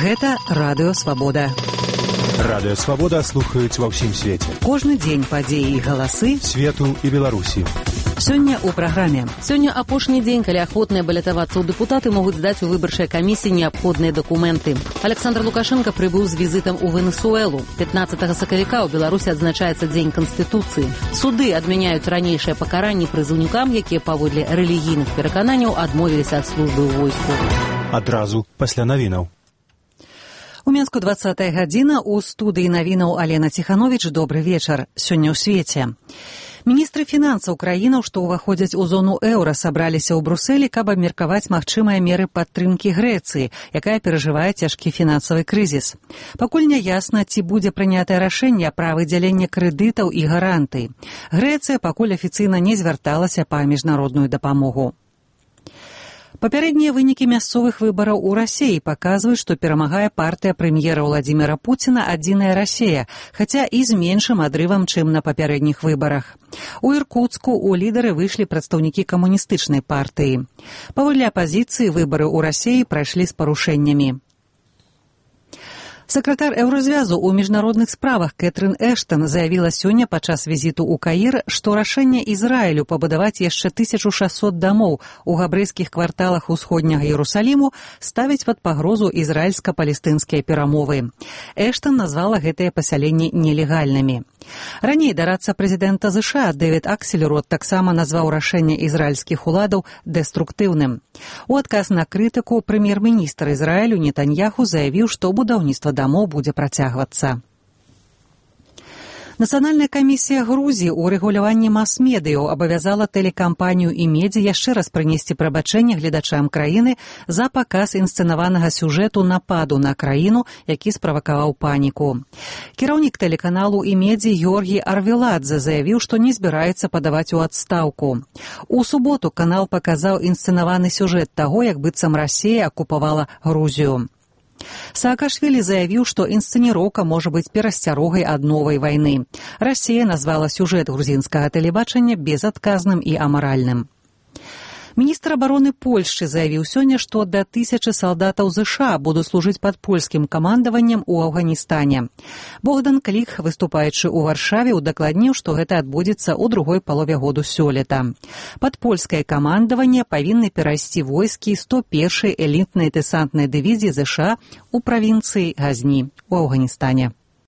Гэта Радыё Свабода. Радыё Свабода слухаюць ва ўсім свеце. Кожны дзень падзеі і галасы свету і Беларусі. Сёння ў праграме. Сёння апошні дзень, калі ахвотныя балятавацца ў дэпутаты могуць здаць у выбарчай камісіі неабходныя дакументы. Александр Лукашенко прыбыў з візітам у Венесуэлу. 15 сакавіка ў Беларусі адзначаецца Дзень Канстытуцыі. Суды адмяняюць ранейшыя пакаранні прызыўнікам, якія паводле рэлігійных перакананняў адмовіліся ад службы ў войску. Адразу пасля навінаў. У Менску 20-я гадзіна, у студыі навінаў Алена Ціхановіч. Добры вечар. Сёння ў свеце. Міністры фінансаў краінаў, што ўваходзяць у зону еўра, сабраліся ў Брусэлі, каб абмеркаваць магчымыя меры падтрымкі Грэцыі, якая перажывае цяжкі фінансавы крызіс. Пакуль не ясна, ці будзе прынятае рашэнне пра выдзяленне крэдытаў і гарантый. Грэцыя пакуль афіцыйна не звярталася па міжнародную дапамогу. Папярэднія вынікі мясцовых выбараў у Расіі паказваюць, што перамагае партыя прэм'ера Владзіміра Пуціна «Адзіная Расія», хаця і з меншым адрывам, чым на папярэдніх выбарах. У Іркуцку ў лідары выйшлі прадстаўнікі камуністычнай партыі. Паводле апазіцыі выбары ў Расіі прайшлі з парушэннямі. Сакратар Еўразвязу ў міжнародных справах Кэтрын Эштон заявіла сёння падчас візіту ў Каір, што рашэнне Ізраілю пабудаваць яшчэ 1600 дамоў у габрэйскіх кварталах усходняга Іерусаліму ставіць пад пагрозу ізраільска-палестынскія перамовы. Эштон назвала гэтыя пасяленні нелегальнымі. Раней дарадца прэзідэнта ЗША Дэвід Аксельрод таксама назваў рашэнне ізраільскіх уладаў дэструктыўным. У адказ на крытыку прэм'ер-міністр Ізраілю Нетаньяху заявіў, што будаўніцтва дамоў будзе працягвацца. Нацыянальная камісія Грузіі ў рэгуляванні мас-медыяў абавязала тэлекампанію «Имедиа» яшчэ раз прынесці прабачэнне гледачам краіны за паказ інсцэнаванага сюжэту нападу на краіну, які справакаваў паніку. Кіраўнік тэлеканалу «Имедиа» Георгій Арвеладзе заявіў, што не збіраецца падаваць у адстаўку. У суботу канал паказаў інсцэнаваны сюжэт таго, як быццам Расія акупавала Грузію. Саакашвілі заявіў, што інсцэніроўка можа быць перасцярогай ад новай вайны. Расія назвала сюжэт грузінскага тэлебачання безадказным і амаральным. Міністр абароны Польшчы заявіў сёння, што да 1000 салдатаў ЗША будуць служыць пад польскім камандаваннем у Афганістане. Богдан Кліх, выступаючы ў Варшаве, удакладніў, што гэта адбудзецца ў другой палове году сёлета. Пад польскае камандаванне павінны перайсці войскі 101-й элітнай дэсантнай дывізіі ЗША у правінцыі Газні ў Афганістане.